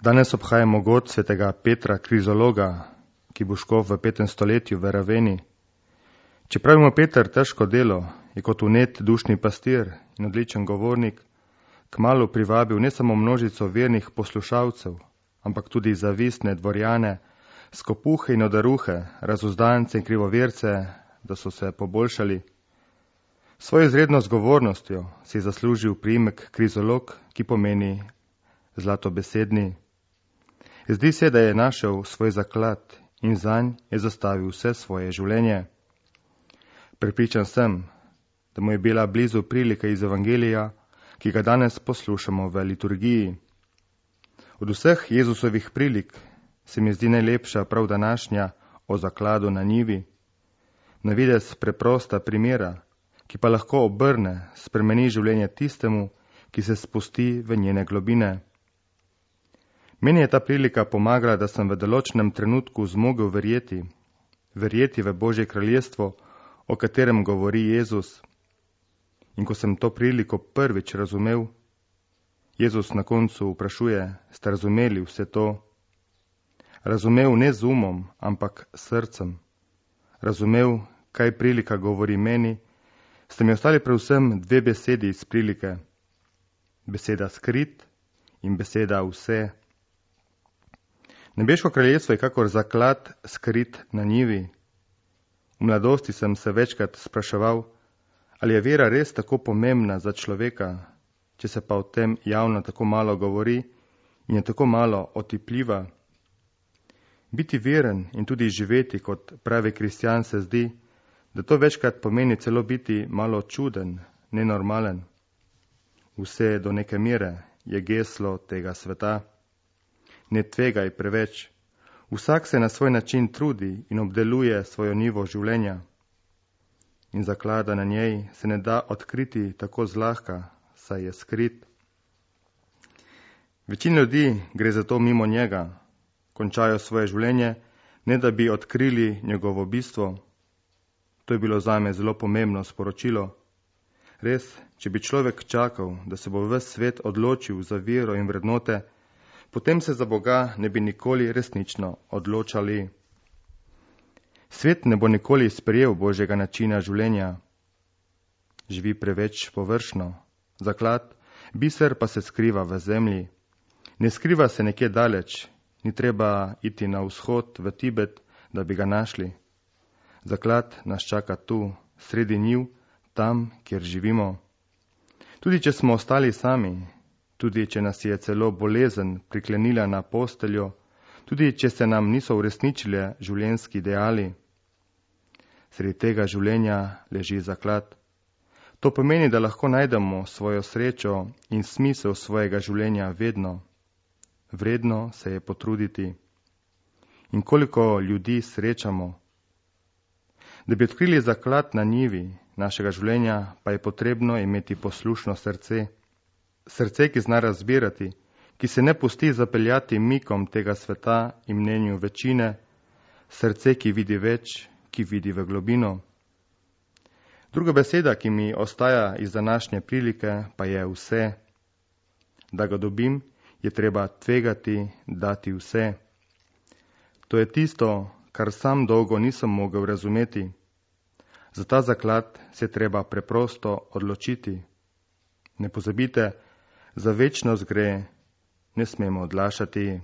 Danes obhajamo god svetega Petra Krizologa, ki bo škof v 5. stoletju v Raveni. Čeprav ima Peter težko delo, je kot vnet dušni pastir in odličen govornik kmalu privabil ne samo množico vernih poslušalcev, ampak tudi zavistne dvorjane, skopuhe in odaruhe, razuzdance in krivoverce, da so se poboljšali. Svojo izredno zgovornostjo si je zaslužil priimek Krizolog, ki pomeni zlatobesedni. Zdi se, da je našel svoj zaklad in zanj je zastavil vse svoje življenje. Prepričan sem, da mu je bila blizu prilika iz Evangelija, ki ga danes poslušamo v liturgiji. Od vseh Jezusovih prilik se mi zdi najlepša prav današnja o zakladu na njivi. Na videz preprosta primera, ki pa lahko obrne, spremeni življenje tistemu, ki se spusti v njene globine. Meni je ta prilika pomagala, da sem v določenem trenutku zmogel verjeti v Božje kraljestvo, o katerem govori Jezus. In ko sem to priliko prvič razumel, Jezus na koncu vprašuje, ste razumeli vse to? Razumel ne z umom, ampak srcem. Razumel, kaj prilika govori meni, ste mi ostali predvsem dve besedi iz prilike. Beseda skrit in beseda vse. Nebeško kraljestvo je kakor zaklad skrit na njivi. V mladosti sem se večkrat spraševal, ali je vera res tako pomembna za človeka, če se pa o tem javno tako malo govori in je tako malo otipljiva. Biti veren in tudi živeti kot pravi kristjan se zdi, da to večkrat pomeni celo biti malo čuden, nenormalen. Vse do neke mere je geslo tega sveta. Ne tvegaj preveč. Vsak se na svoj način trudi in obdeluje svojo nivo življenja. In zaklada na njej se ne da odkriti tako zlahka, saj je skrit. Večina ljudi gre zato mimo njega, končajo svoje življenje, ne da bi odkrili njegovo bistvo. To je bilo zame zelo pomembno sporočilo. Res, če bi človek čakal, da se bo ves svet odločil za vero in vrednote, potem se za Boga ne bi nikoli resnično odločali. Svet ne bo nikoli sprejel Božjega načina življenja. Živi preveč površno. Zaklad, biser pa se skriva v zemlji. Ne skriva se nekje daleč, ni treba iti na vzhod v Tibet, da bi ga našli. Zaklad nas čaka tu, sredi njiv, tam, kjer živimo. Tudi če smo ostali sami, tudi če nas je celo bolezen priklenila na posteljo, tudi če se nam niso uresničile življenjski ideali. Sredi tega življenja leži zaklad. To pomeni, da lahko najdemo svojo srečo in smisel svojega življenja vedno. Vredno se je potruditi. In koliko ljudi srečamo. Da bi odkrili zaklad na njivi našega življenja, pa je potrebno imeti poslušno srce. Srce, ki zna razbirati, ki se ne pusti zapeljati mikom tega sveta in mnenju večine, srce, ki vidi več, ki vidi v globino. Druga beseda, ki mi ostaja iz današnje prilike, pa je vse. Da ga dobim, je treba tvegati, dati vse. To je tisto, kar sam dolgo nisem mogel razumeti. Za ta zaklad se treba preprosto odločiti. Ne pozabite, za večnost gre, ne smemo odlašati.